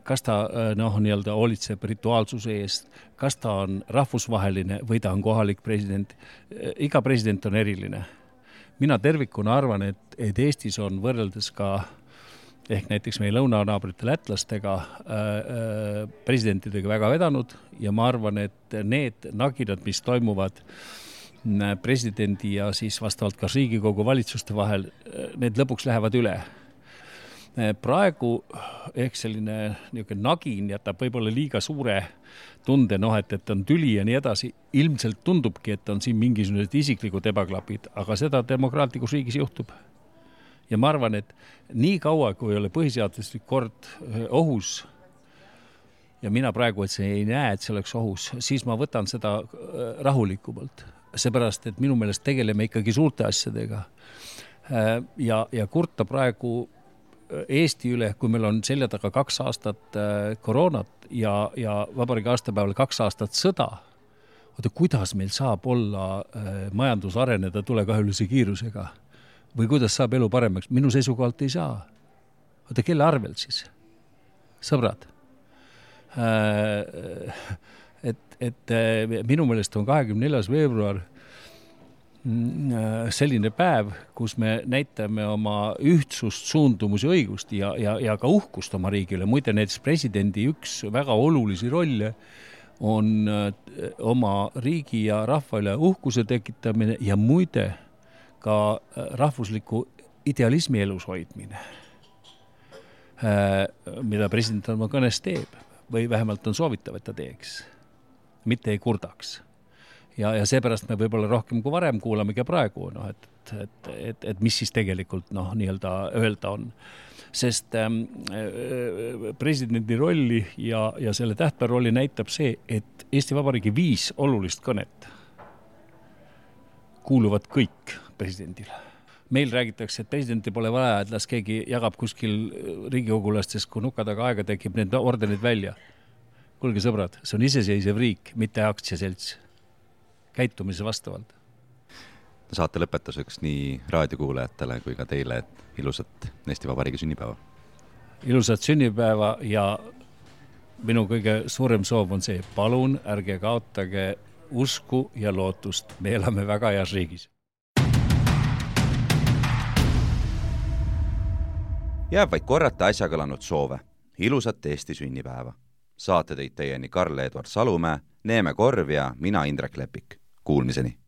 kas ta noh, nii-öelda hoolitseb rituaalsuse eest, kas ta on rahvusvaheline või ta on kohalik president. Iga president on eriline. Mina tervikuna arvan, et, et Eestis on võrreldes ka ehk näiteks meie lõunanaabrite lätlastega äh, presidentidega väga vedanud ja ma arvan, et need nagidad, mis toimuvad presidendi ja siis vastavalt ka Riigikogu valitsuste vahel, need lõpuks lähevad üle. Praegu ehk selline niisugune nagin jätab võib-olla liiga suure tunde, noh, et, et on tüli ja nii edasi. Ilmselt tundubki, et on siin mingisugused isiklikud ebaklapid, aga seda demokraatlikus riigis juhtub. Ja ma arvan, et nii kaua, kui ei ole põhiseaduslik kord ohus, ja mina praegu, et see ei näe, et see oleks ohus, siis ma võtan seda rahulikumalt. Seepärast, et minu meelest tegeleme ikkagi suurte asjadega. Ja, ja kurta praegu Eesti üle, kui meil on selja taga kaks aastat koroonat ja, ja vabariigi aastapäeval kaks aastat sõda, oota, kuidas meil saab olla majandus areneda tulekahjulise kiirusega? Või kuidas saab elu paremaks? Minu seisukohalt ei saa. Oota, kelle arvelt siis? Sõbrad. Et, et minu meelest on kahekümne neljas veebruar selline päev, kus me näitame oma ühtsust, suundumusi, õigust ja, ja, ja ka uhkust oma riigile. Muide, näiteks presidendi üks väga olulisi rolle on oma riigi ja rahva üle uhkuse tekitamine ja muide ka rahvusliku idealismi elus hoidmine, mida president oma kõnes teeb või vähemalt on soovitav, et ta teeks, mitte ei kurdaks. Ja, ja seepärast me võib-olla rohkem kui varem kuulame ka praegu, no, et, et, et, et mis siis tegelikult noh, nii-öelda öelda on. Sest ähm, presidendi rolli ja, ja selle tähtpäeva rolli näitab see, et Eesti Vabariigi viis olulist kõnet kuuluvad kõik presidendile. Meil räägitakse, et presidenti pole vaja, et las keegi jagab kuskil riigikogulastes, kui nuka taga aega tekib need ordenid välja. Kuulge sõbrad, see on iseseisev riik, mitte aktsiaselts. Käitumise vastavalt. Saate lõpetuseks nii raadiokuulajatele kui ka teile ilusat Eesti Vabariigi sünnipäeva. Ilusat sünnipäeva ja minu kõige suurem soov on see, palun ärge kaotage usku ja lootust. Me elame väga heas riigis. Jääb vaid korrata äsja kõlanud soove. Ilusat Eesti sünnipäeva. Saate teid teieni Karl-Edvard Salumäe, Neeme Korv ja mina Indrek Lepik. Kuulmiseni!